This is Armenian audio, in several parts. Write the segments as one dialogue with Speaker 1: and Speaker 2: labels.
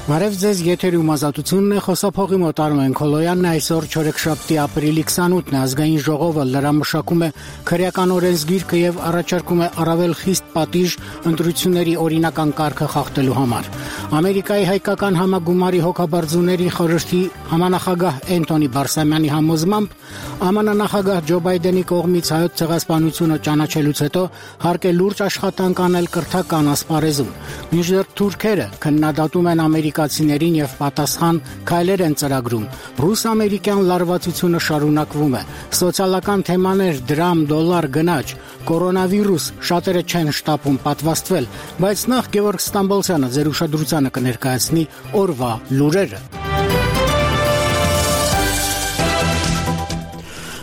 Speaker 1: Բարև ձեզ, եթերում ազատությունն է, խոսափողի մոտ Արմեն Քոլոյանն այսօր չորեքշաբթի ապրիլի 28-ն է ազգային ժողովը լրամշակում է քրեական օրենսգիրքը եւ առաջարկում է առավել խիստ պատիժ ընտրությունների օրինական կարգը խախտելու համար։ Ամերիկայի հայկական համագումարի հոգաբարձուների խորհրդի համանախագահ Էնթոնի Բարսամյանի համոզմամբ ԱՄՆ նախագահ Ջո Բայդենի կողմից հայոց ցեղասպանությունը ճանաչելուց հետո հարկ է լուրջ աշխատանք անել կրթական ասպարեզում։ Մինչդեռ թուրքերը քննադատում են ամերիկացիներին եւ պատասխան քայլեր են ծրագրում։ Ռուս-ամերիկյան լարվածությունը շարունակվում է։ Սոցիալական թեմաներ, դրամ, դոլար, գնաճ, կորոնավիրուս, շատերը չեն շտապում պատվաստվել, բայց նախ Գևորգ Ստամբոլցյանը ձեր ուշադրությանը կներկայացնի օրվա լուրերը։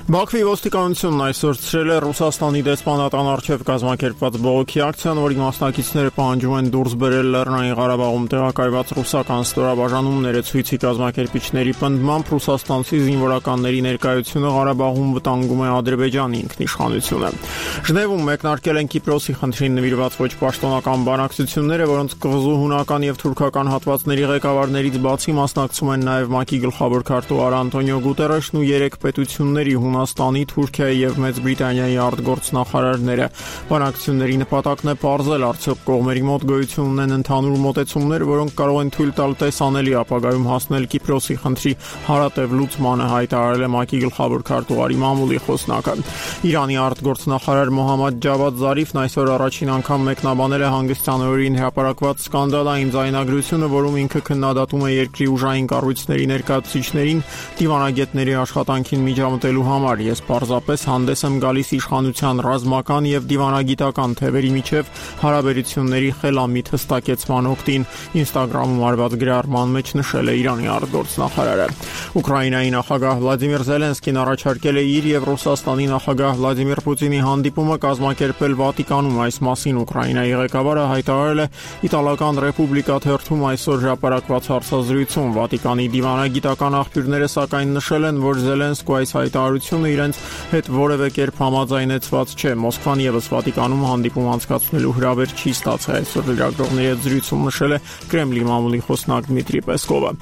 Speaker 2: Բաքվի ոստիկանությունն այսօր ցրել է Ռուսաստանի դեսպանատան առջև կազմակերպված բողոքի ակցիան, որի մասնակիցները պահանջում են դուրս բերել Լեռնային Ղարաբաղում տեղակայված ռուսական ստորաբաժանումները։ Ցույցի կազմակերպիչների պնդմամբ ռուսաստանցի զինվորականների ներկայությունը Ղարաբաղում վտանգում է Ադրբեջանի ինքնիշխանությունը։ Ժնևում մեկնարկել են Կիպրոսի խնդրին նվիրված ոչ պաշտոնական բանակցությունները, որոնց կղզու հունական եւ թուրքական հատվածների ղեկավարներից բացի մասնակցում են նաեւ ՄԱԿ-ի գլխավոր քարտուղար Անտոնիո Գուտերեշն ու 3 պետությունների Հունաստանի, Թուրքիայի եւ Մեծ Բրիտանիայի արտգործնախարարները։ Բանակցությունների նպատակն է պարզել արդյոք կողմերի մոտ գոյություն ունեն ընդհանուր մոտեցումներ, որոնք կարող են թույլ տալ տեսանելի ապագայում հասնել Կիպրոսի խնդրի հարատև լուծմանը, հայտարարել է ՄԱԿ-ի գլխավոր քարտուղարի մամուլի խոսնակը։ Իրանի արտգործնախարար Մոհամմադ Ջավադ Զարիֆն այսօր առաջին անգամ մեկնաբանել է հանգստյան օրերին հրապարակված սկանդալային ձայնագրությունը, որում ինքը քննադատում է երկրի ուժային կառույցների ներկայացուցիչներին դիվանագետների աշխատանքին միջամտելու համար։ Ես պարզապես հանդես եմ գալիս իշխանության ռազմական եւ դիվանագիտական թևերի միջև հարաբերությունների խելամիտ հստակեցման օգտին, Instagram-ում արված գրառման մեջ նշել է Իրանի արտգործնախարարը։ Ուկրաինայի նախագահ Վլադիմիր Զելենսկին առաջարկել է իր եւ Ռուսաստանի նախագահ Վլադիմիր Պուտինի հանդիպումը կազմակերպել Վատիկանում։ Այս մասին Ուկրաինայի ղեկավարը հայտարարել է Իտալական Ռեպուբլիկա թերթում այսօր հրապարակված հարցազրույցում։ Վատիկանի դիվանագիտական աղբյուրները սակայն նշել են, որ Զելենսկու այս հայտարարությունը իրենց հետ որևէ կերպ համաձայնեցված չէ։ Մոսկվան եւս Վատիկանում հանդիպում անցկացնելու հրավեր չի ստացել, այսօր լրագրողների հետ զրույցում նշել է Կրեմլի մամուլի խոսնակ Դմիտրի Պեսկովը։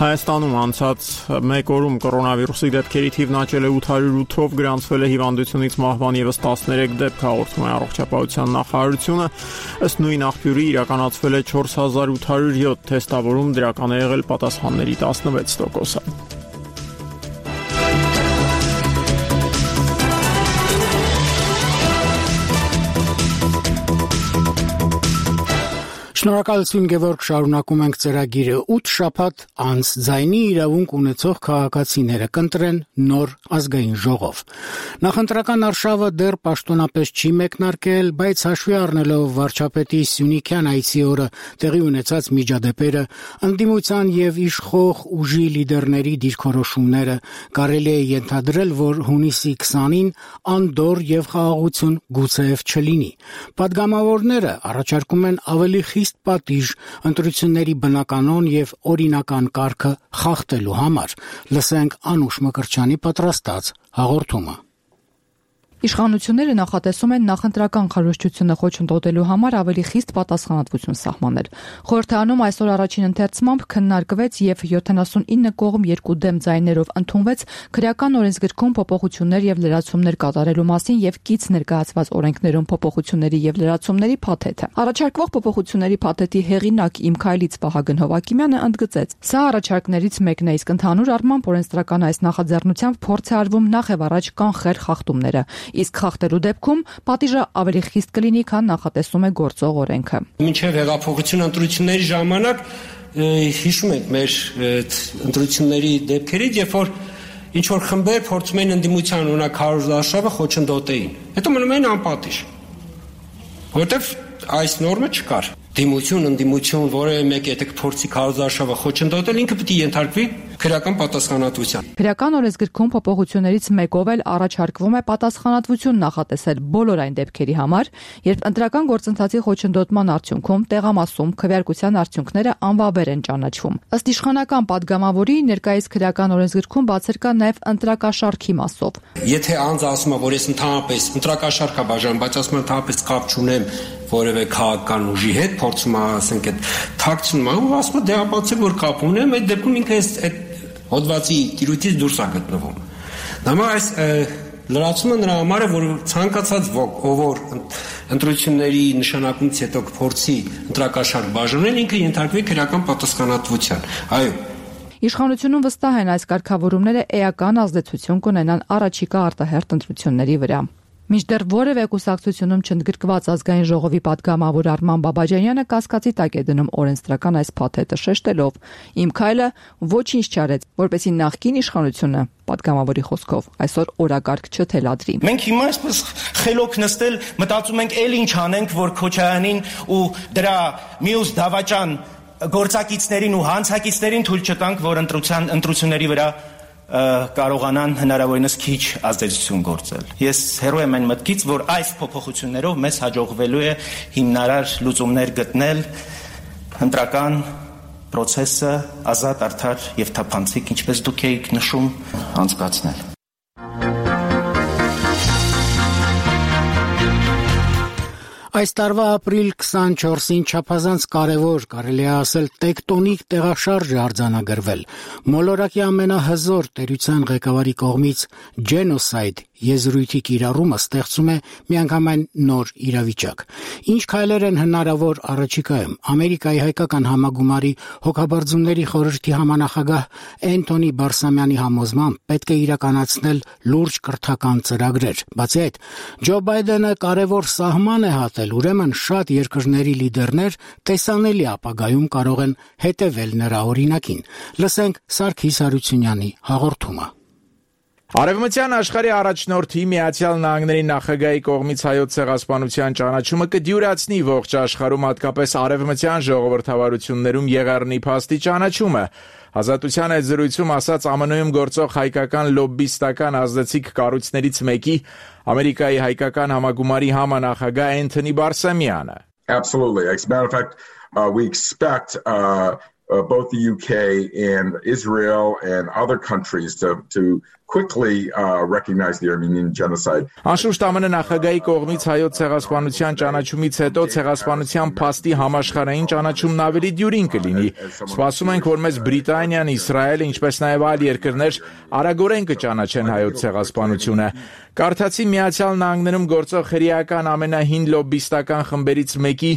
Speaker 2: Հայաստանում անցած մեկ օրում կորոնավիրուսի դեպքերի թիվն աճել է 808-ով, գրանցվել է հիվանդությունից մահվան եւս 13 դեպք, հաղորդում է Առողջապահության նախարարությունը։ Ըստ նույն աղբյուրի իրականացվել է 4807 թեստավորում, դրական է եղել պատասխանների 16%-ը։
Speaker 1: Շնորհակալություն Գևորգ, շարունակում ենք ծրագիրը։ 8 շաբաթ անց ձայնի իրավունք ունեցող քաղաքացիները կընտրեն նոր ազգային ժողով։ Նախընտրական արշավը դեռ պաշտոնապես չի մեկնարկել, բայց հաշվի առնելով վարչապետի Սյունիքյան այցի օրը տեղի ունեցած միջադեպերը, ընդդիմության եւ իշխող ուժի լիդերների դիրքորոշումները, կարելի է ենթադրել, որ հունիսի 20-ին անդորր եւ խաղաղություն գուցեև չլինի։ Պատգամավորները առաջարկում են ավելի խիստ պատիժ ընտրությունների բնականon եւ օրինական կարգը խախտելու համար։ Լսենք Անուշ Մկրտչյանի պատրաստած հաղորդումը։
Speaker 3: Իշխանությունները նախատեսում են նախընտրական քարոզչությունը խոչընդոտելու համար ավելի խիստ պատասխանատվություն սահմանել։ Խորհրդարանում այսօր առաջին ընթերցմամբ քննարկվեց եւ 79 կողմ 2 դեմ ձայներով ընդունվեց քրեական օրենսգրքում փոփոխություններ եւ լրացումներ կատարելու մասին եւ կից ներկայացված օրենքներում փոփոխությունների եւ լրացումների փաթեթը։ Առաջարկվող փոփոխությունների փաթեթի հեղինակ Իմ Քայլից Վահագն Հովակիմյանը ընդգծեց. «Սա առաջարկներից մեկն է, իսկ ընդհանուր առմամբ օրենսդրական այս նախաձեռնությամբ փորձ է արվում նախ եւ առաջ կանխել խախտումները։ Իսկ խախտելու դեպքում պատիժը ավելի խիստ կլինի, քան նախատեսում է գործող օրենքը»։
Speaker 4: Մինչև հեղափոխության ընտրությունների ժամանակ հիշում ենք մեր ընտրությունների դեպքերից, երբ որ ինչ որ խմբեր փորձում էին ընդդիմության օրինակ քարոզարշավը խոչընդոտեին, հետո մնում էին անպատիժ, որովհետև այս նորմը չկար։ Դիմություն, ընդդիմություն, որևէ մեկը եթե կփորձի քարոզարշավը խոչընդոտել, ինքը պետք է ենթարկվի քրեական պատասխանատվության։
Speaker 3: Քրեական օրենսգրքում փոփոխություններից մեկով էլ առաջարկվում է պատասխանատվություն նախատեսել բոլոր այն դեպքերի համար, երբ ընտրական գործընթացի խոչընդոտման արդյունքում տեղամասում քվեարկության արդյունքները անվավեր են ճանաչվում։ Ըստ իշխանական падգամավորի ներկայիս քրեական օրենսգրքում բացեր կա նաև ընտրակաշարքի մասով։
Speaker 4: Եթե անձը ասում է, որ ես ընդհանրապես ընտրակաշարք է բաժանում, բայց ասում է ընդհանրապես կապ չունեմ որևէ քաղաքական ուժի հետ, փորձում է, ասենք, այդ թաքցնում է, ու ասում է դեղաբացել, որ կապ ունեմ, այդ դեպքում ինքը այդ հոդվածի տիրույթից դուրս է գտնվում։ Դա այս լրացումը նրա համար է, որ ցանկացած ոք, ով որ ընտրությունների նշանակումից հետո փորձի ընտրակաշարք բաժանել, ինքը ենթարկվի քրեական պատասխանատվության։ Այո։
Speaker 3: Իշխանությունում վստահ են այս կարգավորումները էական ազդեցություն կունենան առաջիկա արտահերթ ընտրությունների վրա։ Մինչդեռ որևէ կուսակցությունում չընդգրկված ազգային ժողովի падգամավոր Արման Բաբաջանյանը կասկածի տակ է դնում օրենսդրական այս փաթեթը, շեշտելով. «Իմ քայլը ոչինչ չարեց, որպեսզի նախկին իշխանությունը падգամավորի խոսքով այսօր օրակարգ չթելադրի»։
Speaker 5: Մենք հիմա այսպես խելոք նստել մտածում ենք, էլ ինչ անենք, որ Քոչարյանին ու դրա մյուս դավաճան գործակիցներին ու հանցակիցներին թույլ չտանք, որ ընտրությունների վրա կարողանան հնարավորինս քիչ ազդեցություն գործել։ Ես հեռու եմ այն մտքից, որ այս փոփոխություններով մեզ հաջողվելու է հիմնարար լուծումներ գտնել ընտրական process-ը ազատ, արդար եւ թափանցիկ, ինչպես դուք եք նշում, անցկացնել։
Speaker 1: Այս տարվա ապրիլ 24-ին չափազանց կարևոր, կարելի է ասել տեկտոնիկ տեղաշարժ է արձանագրվել։ Մոլորակի ամենահզոր տերության ղեկավարի կողմից genocide եզրույթի կիրառումը ստեղծում է միանգամայն նոր իրավիճակ։ Ինչ քայլեր են հնարավոր առաջիկայում։ Ամերիկայի հայկական համագումարի հոգաբարձությունների խորհրդի համանախագահ Էնթոնի Բարսամյանի համոզմամբ պետք է իրականացնել լուրջ կրթական ծրագրեր։ Բացի այդ, Ջո Բայդենը կարևոր սահման է հատել, ուրեմն շատ երկրների լիդերներ տեսանելի ապագայում կարող են հետևել նրա օրինակին։ Լսենք Սարգիս Հարությունյանի հաղորդումը։
Speaker 6: Արևմտյան աշխարհի առաջնորդի Միացյալ Նահանգների նախագահի կողմից հայոց ցեղասպանության ճանաչումը կդյուրացնի ողջ աշխարհում, հատկապես արևմտյան ժողովրդավարություններում եղեռնի փաստի ճանաչումը։ Ազատության այդ զրույցում ասաց ԱՄՆ-ում գործող հայկական լոբբիստական ազդեցիկ կառույցներից մեկի Ամերիկայի հայկական համագումարի համանախագահ Էնթոնի Բարսամյանը։
Speaker 7: Absolutely. As a matter of fact, we expect both the UK and Israel and other countries to quickly recognize the Armenian genocide.
Speaker 6: Անշուշտ ԱՄՆ նախագահի կողմից հայոց ցեղասպանության ճանաչումից հետո ցեղասպանության փաստի համաշխարհային ճանաչումն ավելի դյուրին կլինի։ Սպասում ենք, որ մեզ Բրիտանիան, Իսրայելը, ինչպես նաև այլ երկրներ արագորեն կճանաչեն հայոց ցեղասպանությունը։ Կարդացի Միացյալ Նահանգներում գործող հրեական ամենահին լոբբիստական խմբերից մեկի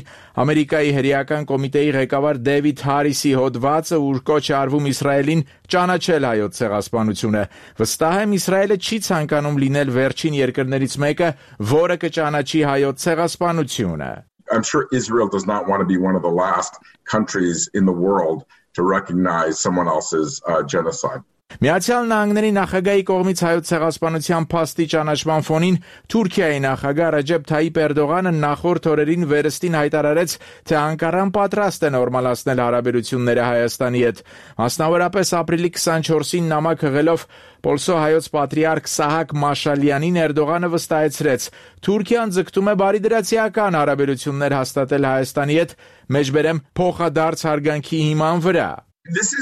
Speaker 6: Ամերիկայի հրեական կոմիտեի ղեկավար Դեվիդ Հարիսի հոդվածը, ուր կոչ է արվում Իսրայելին ճանաչել հայոց ցեղասպանությունը։ Վստահ եմ, Իսրայելը չի ցանկանում լինել վերջին երկրներից մեկը, որը կճանաչի հայոց ցեղասպանությունը։
Speaker 7: I'm sure Israel does not want to be one of the last countries in the world to recognize someone else's genocide.
Speaker 6: Միացյալ Նահանգների նախագահի կողմից հայոց ցեղասպանության փաստի ճանաչման ֆոնին Թուրքիայի նախագահ Ռեջեփ Թայիփ Էրդողանը նախորդ օրերին վերստին հայտարարեց, թե Անկարան պատրաստ է նորմալացնել հարաբերությունները Հայաստանի հետ։ Մասնավորապես ապրիլի 24-ին նամակ հղելով Պոլսո հայոց պատրիարք Սահակ Մաշալյանին Էրդողանը վստահեցրեց. Թուրքիան ձգտում է բարիդրացիական հարաբերություններ հաստատել Հայաստանի հետ, մեջբերեմ փոխադարձ հարգանքի հիման վրա։
Speaker 7: This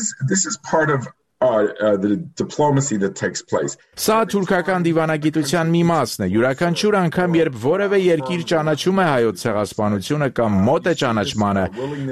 Speaker 7: is part of the diplomacy that takes place.
Speaker 6: Սա թուրքական դիվանագիտության մի մասն է։ Յուրաքանչյուր անգամ, երբ որևէ երկիր ճանաչում է հայոց ցեղասպանությունը կամ մոտ է ճանաչմանը,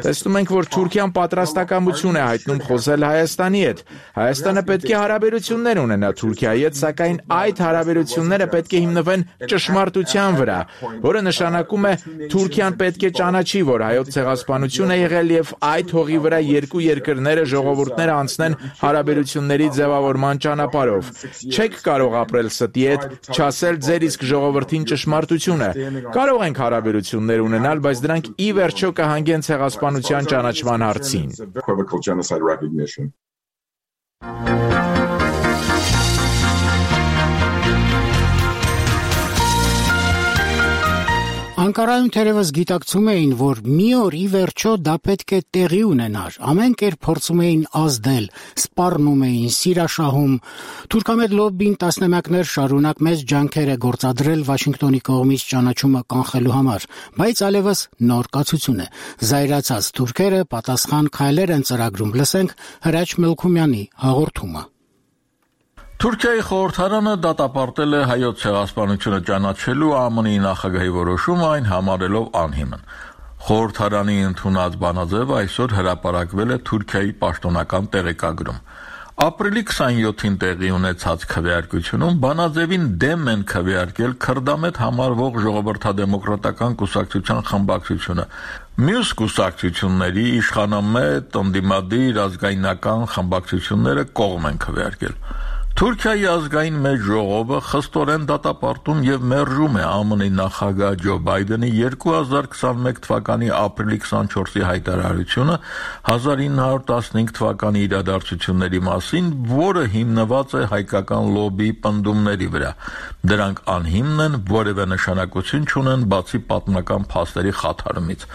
Speaker 6: տեսնում ենք, որ Թուրքիան պատրաստակամություն է հայտնում խոսել Հայաստանի հետ։ Հայաստանը պետք է հարաբերություններ ունենա Թուրքիայի հետ, սակայն այդ հարաբերությունները պետք է հիմնվեն ճշմարտության վրա, որը նշանակում է Թուրքիան պետք է ճանաչի, որ հայոց ցեղասպանություն է եղել եւ այդ հողի վրա երկու երկրները, ժողովուրդները անցնեն հարաբերությունների ձևավորման ճանապարհով։ Չեք կարող ապրել ստի հետ, չասել ձեր իսկ ժողովրդին ճշմարտությունը։ Կարող ենք հարաբերություններ ունենալ, բայց դրանք ի վերջո կհանգեն ցեղասպանության ճանաչման հարցին։
Speaker 1: Անկարայում թերևս գիտակցում էին, որ մի օր ի վերջո դա պետք է տեղի ունենար։ Ամեն կերպ փորձում էին ազդել, սպառնում էին, սիրաշահում։ Թուրքամետ լոբբին տասնամյակներ շարունակ մեծ ջանքեր է գործադրել Վաշինգտոնի կողմից ճանաչումը կանխելու համար, բայց այլևս նոր կացություն է։ Զայրացած թուրքերը պատասխան քայլեր են ծրագրում։ Լսենք Հրաչ Մելքումյանի հաղորդումը։
Speaker 8: Թուրքիայի խորհրդարանը դատապարտել է հայոց ցեղասպանությունը ճանաչելու ԱՄՆ-ի նախագահի որոշումը, այն համարելով անհիմն։ Խորհրդարանի ընդունած բանաձևը այսօր հրապարակվել է Թուրքիայի պաշտոնական տեղեկագրում։ Ապրիլի 27-ին տեղի ունեցած քվեարկությունում բանաձևին դեմ են քվեարկել քրդամետ համարվող ժողովրդադեմոկրատական կուսակցության խմբակցությունը։ Մյուս կուսակցությունների իշխանամետ, ընդդիմադիր, ազգայնական խմբակցությունները կողմ են քվեարկել։ Թուրքիայի ազգային մեծ ժողովը խստորեն դատապարտում եւ մերժում է ԱՄՆ-ի նախագահ Ջո Բայդենի 2021 թվականի ապրիլի 24-ի հայտարարությունը 1915 թվականի իրադարձությունների մասին, որը հիմնված է հայկական լոբբիի պնդումների վրա։ Դրանք անհիմն են, որևէ նշանակություն չունեն բացի պատմական փաստերի խաթարումից։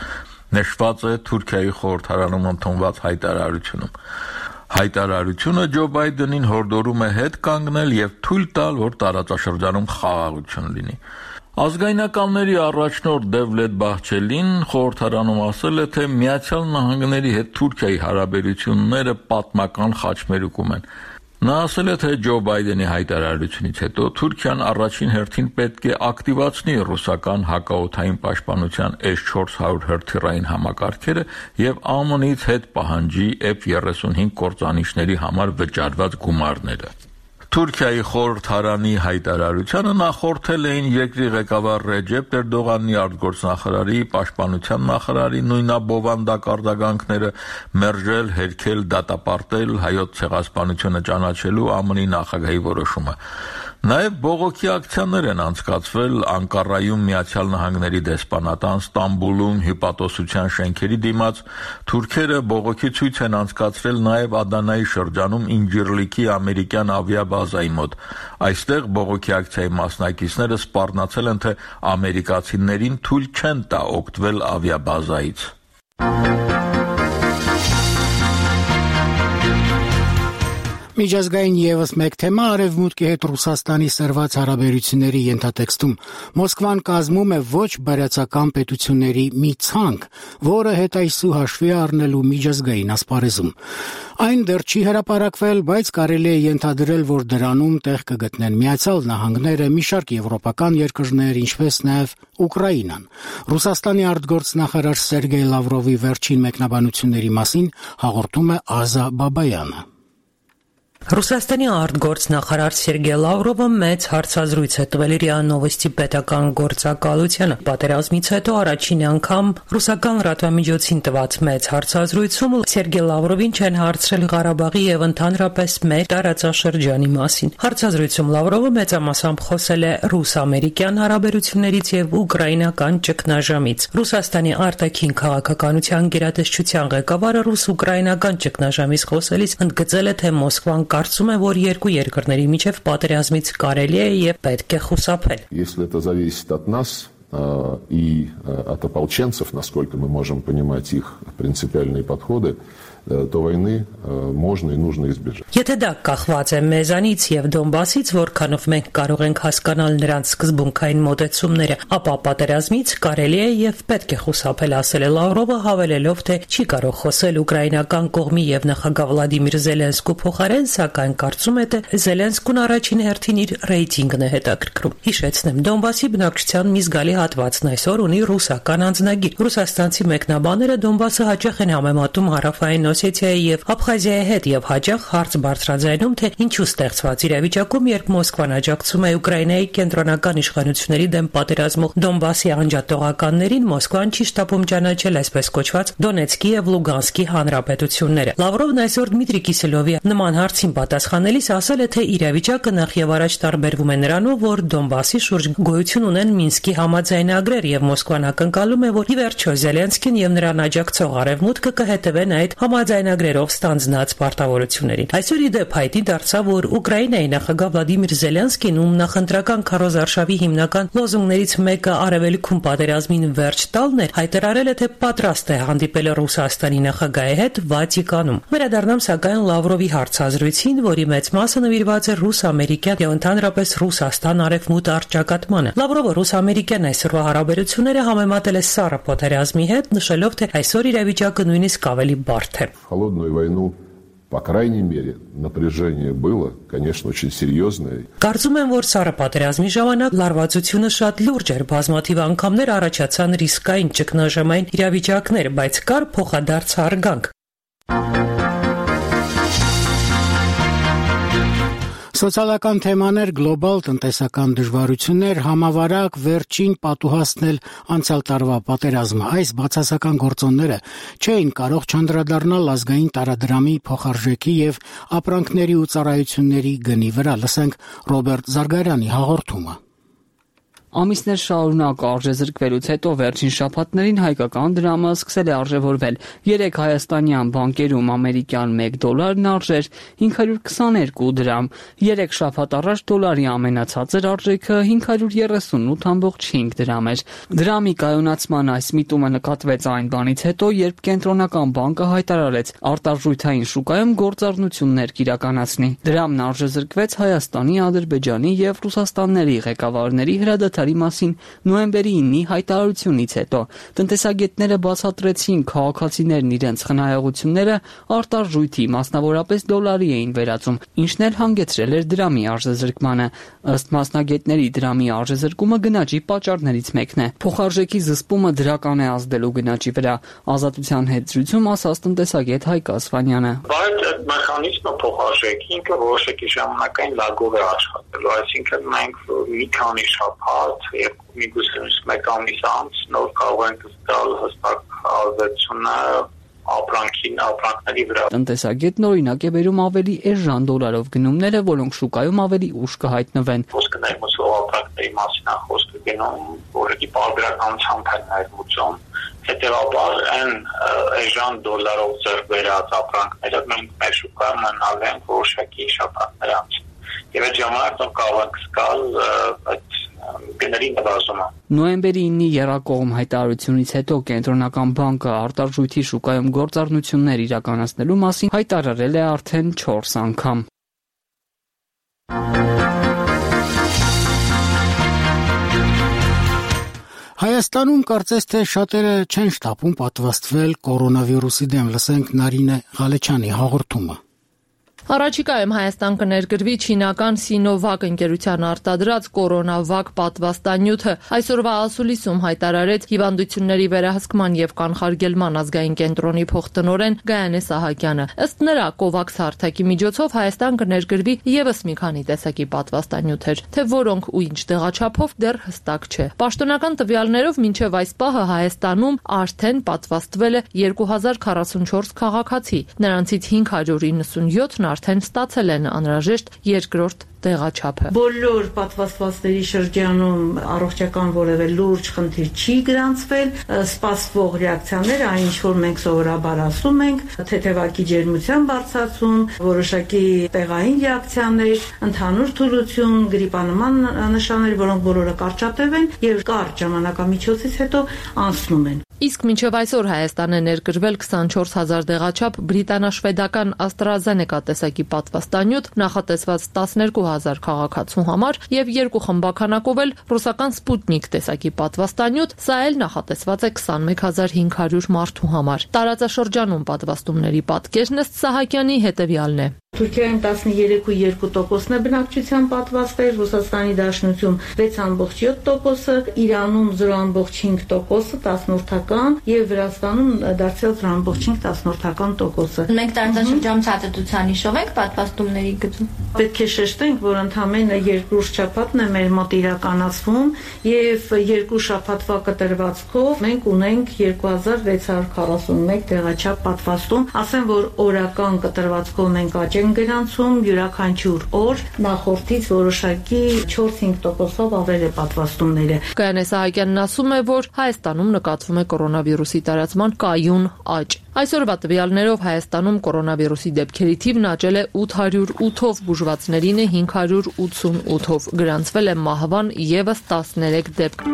Speaker 8: Նշված է Թուրքիայի խորհրդարանում ընդունված հայտարարությունում։ Հայտարարությունը Ջո Բայդենին հորդորում է հետ կանգնել եւ թույլ տալ, որ տարածաշրջանում խաղաղություն լինի։ Ազգայնականների առաջնորդ Դևլետ Բահչելին խորհրդարանում ասել է, թե Միացյալ Նահանգների հետ Թուրքիայի հարաբերությունները պատմական խաչմերուկում են։ Նա ասել է, թե Ջո Բայդենի հայտարարությունից հետո Թուրքիան առաջին հերթին պետք է ակտիվացնի ռուսական հակաօդային պաշտպանության S-400 հրթիռային համակարգերը եւ ԱՄՆ-ից հետ պահանջի F-35 կործանիչների համար վճարված գումարները։ Թուրքիայի խորհրդարանի հայտարարությանը նախորդել էին երկրի ղեկավար Ռեջեփ Էրդողանի արտգործնախարարի, պաշտպանության նախարարի նույնաբովանդակ արձագանքները, մերժել, հերքել, դատապարտել հայոց ցեղասպանությունը ճանաչելու ԱՄՆ-ի նախագահի որոշումը։ Նաև բողոքի ակցիաներ են անցկացվել Անկարայում Միացյալ Նահանգների դեսպանատան, Ստամբուլում հյուպատոսության շենքերի դիմաց։ Թուրքերը բողոքի ցույց են անցկացրել նաև Ադանայի շրջանում Ինջիրլիքի ամերիկյան ավիաբազայի մոտ։ Այստեղ բողոքի ակցիայի մասնակիցները սպառնացել են, թե ամերիկացիներին թույլ չեն տա օգտվել ավիաբազայից։
Speaker 1: Միջազգային եւս մեկ թեմա Արևմուտքի հետ Ռուսաստանի սրված հարաբերությունների ենթատեքստում Մոսկվան կազմում է ոչ բարյացակամ պետությունների մի ցանկ, որը հետայսու հաշվի առնելու միջազգային ասպարեզում։ Այն դեռ չի հրապարակվել, բայց կարելի է ենթադրել, որ դրանում տեղ կգտնեն Միացյալ Նահանգները, մի շարք եվրոպական երկրներ, ինչպես նաև Ուկրաինան։ Ռուսաստանի արտգործնախարար Սերգեյ Լավրովի վերջին մեկնաբանությունների մասին հաղորդում է Ազա Բաբայանը։
Speaker 9: Ռուսաստանի արտգործնախարար Սերգեյ Լավրովը մեծ հարցազրույց է տվել ՌԻԱ Նովոստի պետական գործակալությանը։ Պատերազմից հետո առաջին անգամ ռուսական լրատվամիջոցին տված մեծ հարցազրույցում Սերգեյ Լավրովին չեն հարցրել Ղարաբաղի եւ ընդհանրապես մեր տարածաշրջանի մասին։ Հարցազրույցում Լավրովը մեծամասամբ խոսել է ռուս-ամերիկյան հարաբերություններից եւ ուկրաինական ճգնաժամից։ Ռուսաստանի արտաքին քաղաքականության գերատեսչության ղեկավարը ռուս-ուկրաինական ճգնաժամից խոսելիս ընդգծել է, թե Մոսկվան կարծում է, որ երկու երկրների միջև պատերազմից կարելի է եւ պետք է խուսափել։
Speaker 10: Если это зависит от нас и от ополченцев, насколько мы можем понимать их принципиальные подходы, то войны можно и нужно избежать.
Speaker 9: Եթե դա կախված է մեզանից եւ Դոնբասից, որքանով մենք կարող ենք հասկանալ նրանց սկզբունքային մոտեցումները, ապա պատերազմից կարելի է եւ պետք է խուսափել, ասել է Լավրովը, հավելելով, թե չի կարող խոսել ուկրաինական կողմի եւ նախագահ Վլադիմիր Զելենսկու փոխարեն, սակայն կարծում է, թե Զելենսկուն առաջին հերթին իր ռեյտինգն է հետաքրքրում։ Հիշեցնեմ, Դոնբասի բնակչության մի զգալի հատվածն այսօր ունի ռուսական անձնագիր։ Ռուսաստանցի մեկնաբանները Դոնբասը հաճախ են համեմատում հարավային Օսեթիայի եւ Աբխազիայի հետ եւ հաճախ հարց բարձրաձայնում, թե ինչու ստեղծված իրավիճակում, երբ Մոսկվան աջակցում է Ուկրաինայի կենտրոնական իշխանությունների դեմ պատերազմող Դոնբասի անջատողականներին, Մոսկվան չի շտապում ճանաչել այսպես կոչված Դոնեցկի եւ Լուգանսկի հանրապետությունները։ Լավրովն այսօր Դմիտրի Կիսելովի նման հարցին պատասխանելիս ասել է, թե իրավիճակը նախ եւ առաջ տարբերվում է նրանով, որ Դոնբասի շուրջ գոյություն ունեն Մինսկի համաձայնագրեր եւ Մոսկվան ակնկալում է, որ ի վերջո Զելենսկին եւ նրան աջակցող Արևմուտքը կհետևեն այդ համաձայնագրերով ստանձնած պարտավորություններին։ Այսօր ի դեպ հայտի դարձավ, որ Ուկրաինայի նախագահ Վլադիմիր Զելենսկին, ում նախընտրական քարոզարշավի հիմնական լոզունգներից մեկը արևելքում պատերազմին վերջ տալն էր, հայտարարել է, թե պատրաստ է հանդիպել Ռուսաստանի նախագահի հետ Վատիկանում։ Վերադառնամ սակայն Լավրովի հարցազրույցին, որի մեծ մասը նվիրված է ռուս-ամերիկյան եւ ընդհանրապես Ռուսաստան-արևմուտք առճակատմանը։ Լավրովը ռուս-ամերիկյան այսօրվա հարաբերությունները համեմատել է սառը պատերազմի հետ, նշելով, թե այսօր իրավիճակը նույնիսկ ավելի բարդ է։
Speaker 10: Холодную войну, по крайней мере, напряжение было, конечно, очень серьезное.
Speaker 9: Կարծում եմ, որ սառը պատերազմի ժամանակ լարվածությունը շատ լուրջ էր, բազմաթիվ անգամներ առաջացան ռիսկային ճգնաժամային իրավիճակներ, բայց կար փոխադարձ հարգանք։
Speaker 1: Սոցիալական թեմաներ, գլոբալ տնտեսական դժվարություններ, համավարակ, վերջին պատուհասնել անցյալ տարվա պատերազմը։ Այս բացասական գործոնները չէին կարող չանդրադառնալ ազգային տարադրամի փոխարժեքի եւ ապրանքների ու ծառայությունների գնի վրա։ Լսենք Ռոբերտ Զարգարյանի հաղորդումը։
Speaker 11: Ամիսներ շարունակ արժեզրկվելուց հետո վերջին շաբաթներին հայկական դրամը սկսել է արժևորվել։ 3 հայաստանյան բանկերում ամերիկյան $1 արժեր 522 դրամ։ 3 շաբաթ առաջ դոլարի ամենացածր արժեքը 538.5 դրամ էր։ Դրամի կայունացման այս միտումը նկատվեց այն բանից հետո, երբ Կենտրոնական բանկը հայտարարեց արտարժույթային շուկայում գործառնություններ կիրականացնի։ Դրամն արժեզրկվեց Հայաստանի, Ադրբեջանի եւ Ռուսաստանների ղեկավարների հրադադարի մասին նոյեմբերի 9-ի հայտարարությունից հետո տնտեսագետները բացատրեցին քաղաքացիներն իրենց խնայողությունները արտարժույթի, մասնավորապես դոլարի էին վերածում, ինչն էլ հանգեցրել էր դրամի արժեզրկմանը։ Ըստ մասնագետների դրամի արժեզրկումը գնաճի պատճառներից մեկն է։ Փոխարժեքի զսպումը դրական է ազդելու գնաճի վրա։ Ազատության հետ զրույցում ասաց տնտեսագետ Հայկ Ասվանյանը։
Speaker 12: Բայց այդ մեխանիզմը փոխարժեքի ինքը որոշակի ժամանակային լագով է աշխատելու, այսինքն մենք մի քանի շաբաթ եւ միգուցե մեկ ամիս անց նոր կարող ենք ստալ հստակ ազդեցությունը ապրանքների վրա։
Speaker 11: Տնտեսագետն օրինակ է բերում ավելի էժան դոլարով գնումները, որոնք շուկայում ավելի ուշ կհայտնվեն։
Speaker 12: Խոսքը ներմուծող ապրանքների մասին է խոսքը գնում, որի պարբերականությամբ են ներմուծում։ Հետևաբար այն էժան դոլարով ձեռք բերած ապրանքները մենք մեր շուկայում մնալ են որոշակի շաբաթներ անց։ Եվ այդ ժամանակ կարող ենք զգալ այդ գների նվազումը։
Speaker 11: Նոյեմբերի 9-ի եռակողմ հայտարարությունից հետո Կենտրոնական բանկը արտարժույթի շուկայում գործառնություններ իրականացնելու մասին հայտարարել է արդեն 4 անգամ։
Speaker 1: Հայաստանում կարծես թե շատերը չեն շտապում պատվաստվել կորոնավիրուսի դեմ։ Լսենք Նարինե Ղալեչյանի հաղորդումը։
Speaker 3: Առաջիկայում Հայաստան կներգրվի չինական Սինովակ ընկերության արտադրած կորոնավակ պատվաստանյութը։ Այսօրվա ասուլիսում հայտարարեց հիվանդությունների վերահսկման եւ կանխարգելման ազգային կենտրոնի փոխտնօրեն Գայանե Սահակյանը։ Ըստ նրա, COVAX հարթակի միջոցով Հայաստան կներգրվի եւս մի քանի տեսակի պատվաստանյութեր, թե որոնք ու ինչ տեղաչափով դեռ հստակ չէ։ Պաշտոնական տվյալներով մինչև այս պահը Հայաստանում արդեն պատվաստվել է 2044 քաղաքացի, նրանցից 597-ն արդեն ստացել են անհրաժեշտ երկրորդ տեղաչափը։
Speaker 13: Բոլոր պատվաստվածների շրջանում առողջական որևէ լուրջ խնդիր չի գրանցվել, սպասվող ռեակցիաները, այն ինչ որ մենք սովորաբար ասում ենք, թեթևակի ջերմության բարձրացում, որոշակի տեղային ռեակցիաներ, ընդհանուր թուլություն, գրիպանման նշաններ, որոնք բոլորը կարճատև են եւ կարճ ժամանակամիջոցից հետո անցնում են։
Speaker 3: Իսկ մինչև այսօր Հայաստան է ներգրվել 24000 տեղաչափ բրիտանա-շվեդական AstraZeneca տեսակի պատվաստանյութ, նախատեսված 12000 քաղաքացու համար եւ 2 խմբականակով էլ ռուսական Sputnik տեսակի պատվաստանյութ, սա էլ նախատեսված է 21500 մարդու համար։ Տարածաշրջանում պատվաստումների պատկերն ըստ Սահակյանի հետեւյալն է։
Speaker 13: Թուրքիայում 13.2%-ն է բնակչության պատվաստել, Ռուսաստանի Դաշնություն 6.7%, Իրանում 0.5%, 10-ական եւ Վրաստանում դարձել 0.5%։
Speaker 14: Մենք տարածաշրջանում ցածրության հիշով ենք պատվաստումների գծում։
Speaker 13: Պետք է շեշտենք, որ ընդամենը 2 շաբաթն է մեր մոտ իրականացվում եւ 2 շաբաթվա կտրվածքով մենք ունենք 2641 տեղաչափ պատվաստում։ Ասեմ, որ օրական կտրվածքով մենք աճ ենք են գրանցում յուրաքանչյուր օր նախորդից որոշակի 4-5%-ով ավել է պատվաստումները։
Speaker 15: Գայանե Սահակյանն ասում է, որ Հայաստանում նկատվում է կորոնավիրուսի տարածման կայուն աճ։ Այսօրվա տվյալներով Հայաստանում կորոնավիրուսի դեպքերի թիվն աճել է 808-ով, բուժվածներին է 588-ով, գրանցվել է մահվան եւս 13 դեպք։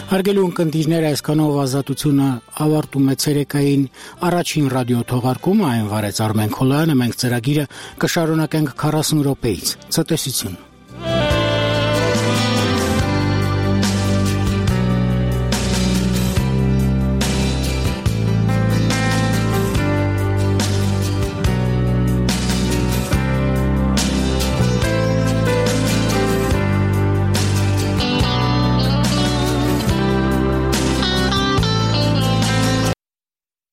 Speaker 1: Հարգելի ունկնդիրներ, այսքանով Ազատությունը ավարտում է ցերեկային առաջին ռադիո թողարկումը, այն վարեց Արմեն Քոլյանը, մենք ծրագիրը կշարունակենք 40 րոպեից։ Ցտեսություն։